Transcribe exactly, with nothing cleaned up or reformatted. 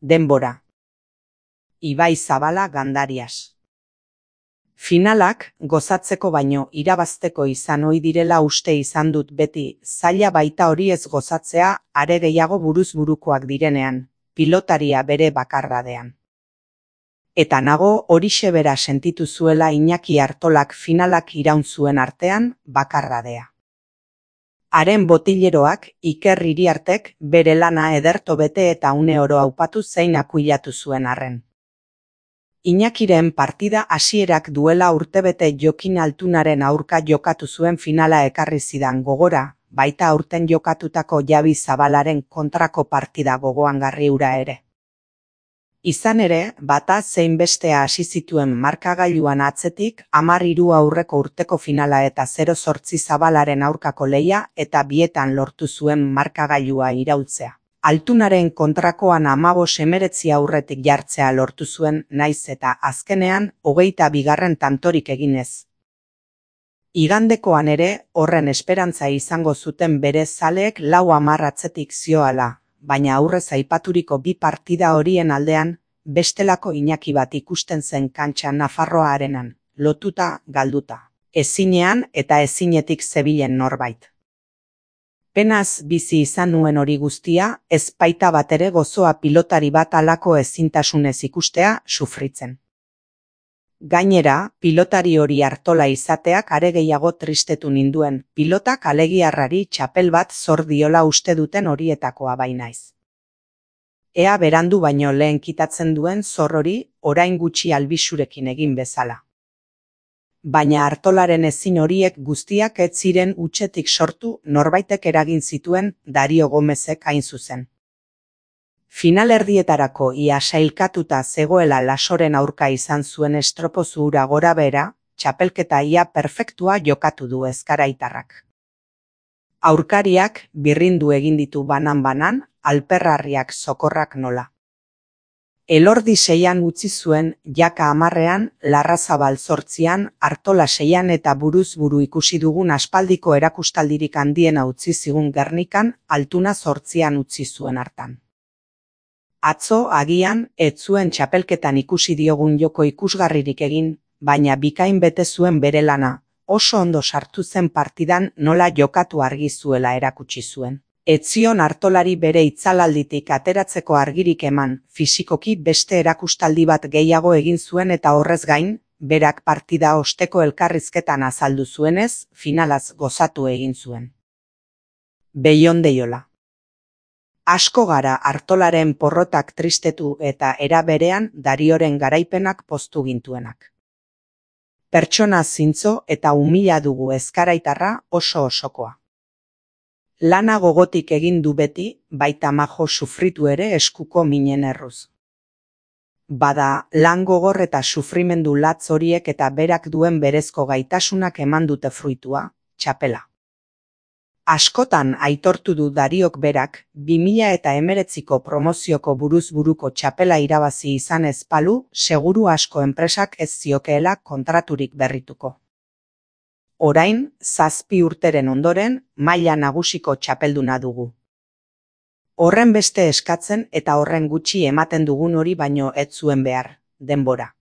Denbora. Ibai Zabala Gandarias. Finalak gozatzeko baino irabazteko izan ohi direla uste izan dut beti, zaila baita hori ez gozatzea, are gehiago buruz burukoak direnean, pilotaria bere bakardadean. Eta nago horixe bera sentitu zuela Iñaki Artolak finalak iraun zuen artean, bakardadea. Haren botileroak, Iker Iriartek, bere lana ederto bete eta une oro aupatu zein akuilatu zuen arren. Iñakiren partida hasierak duela urtebete Jokin Altunaren aurka jokatu zuen finala ekarri zidan gogora, baita aurten jokatutako Javi Zabalaren kontrako partida gogoangarri hura ere. Izan ere, bata zein bestea hasi zituen markagailuan atzetik, hamar hiru aurreko urteko finala eta zero zortzi Zabalaren aurkako lehia eta bietan lortu zuen markagailua iraultzea. Altunaren kontrakoan hamabost hemeretzi aurretik jartzea lortu zuen, naiz eta azkenean hogeita bigarren tantorik eginez. Igandekoan ere, horren esperantza izango zuten bere zaleek lau hamar atzetik zioala, baina aurrez aipaturiko bi partida horien aldean, bestelako Iñaki bat ikusten zen kantxa Nafarroa arenan, lotuta, galduta, ezinean eta ezinetik zebilen norbait. Penaz bizi izan nuen hori guztia, ez baita batere gozoa pilotari bat halako ezintasunez ikustea, sufritzen. Gainera, pilotari hori Artola izateak are gehiago tristetu ninduen, pilotak alegiarrari txapel bat zor diola uste duten horietakoa bainaiz. Ea berandu baino lehen kitatzen duen zor hori, orain gutxi albisurekin egin bezala. Baina Artolaren ezin horiek guztiak ez ziren hutsetik sortu norbaitek eragin zituen Dario Gomezek hain zuzen. Finalerdietarako ia sailkatuta zegoela Lasoren aurka izan zuen estropozu hura gora behera, txapelketa ia perfektua jokatu du ezkaraitarrak. Aurkariak birrindu egin ditu banan-banan, alperrarriak sokorrak nola. Elordi seian utzi zuen, Jaka hamarrean, Larrazabal zortzian, Artola seian eta buruz buru ikusi dugun aspaldiko erakustaldirik handiena utzi zigun Gernikan, Altuna zortzian utzi zuen hartan. Atzo agian, ez zuen txapelketan ikusi diogun joko ikusgarririk egin, baina bikain bete zuen bere lana, oso ondo sartu zen partidan nola jokatu argi zuela erakutsi zuen. Ez zion Artolari bere itzalalditik ateratzeko argirik eman, fisikoki beste erakustaldi bat gehiago egin zuen eta horrez gain, berak partida osteko elkarrizketan azaldu zuenez, finalaz gozatu egin zuen. Beion deiola. Asko gara Artolaren porrotak tristetu eta era berean Darioren garaipenak poztu gintuenak. Pertsona zintzo eta umila dugu ezkaraitarra oso osokoa. Lana gogotik egin du beti, baita majo sufritu ere eskuko minen erruz. Bada, lan gogor eta sufrimendu latz horiek eta berak duen berezko gaitasunak eman dute fruitua, txapela. Askotan aitortu du Dariok berak, bi mila eta hemeretziko promozioko buruz buruko txapela irabazi izan ez balu, seguru asko enpresak ez ziokeela kontraturik berrituko. Orain, zazpi urteren ondoren, maila nagusiko txapelduna dugu. Horren beste eskatzen eta horren gutxi ematen dugun hori baino ez zuen behar, denbora.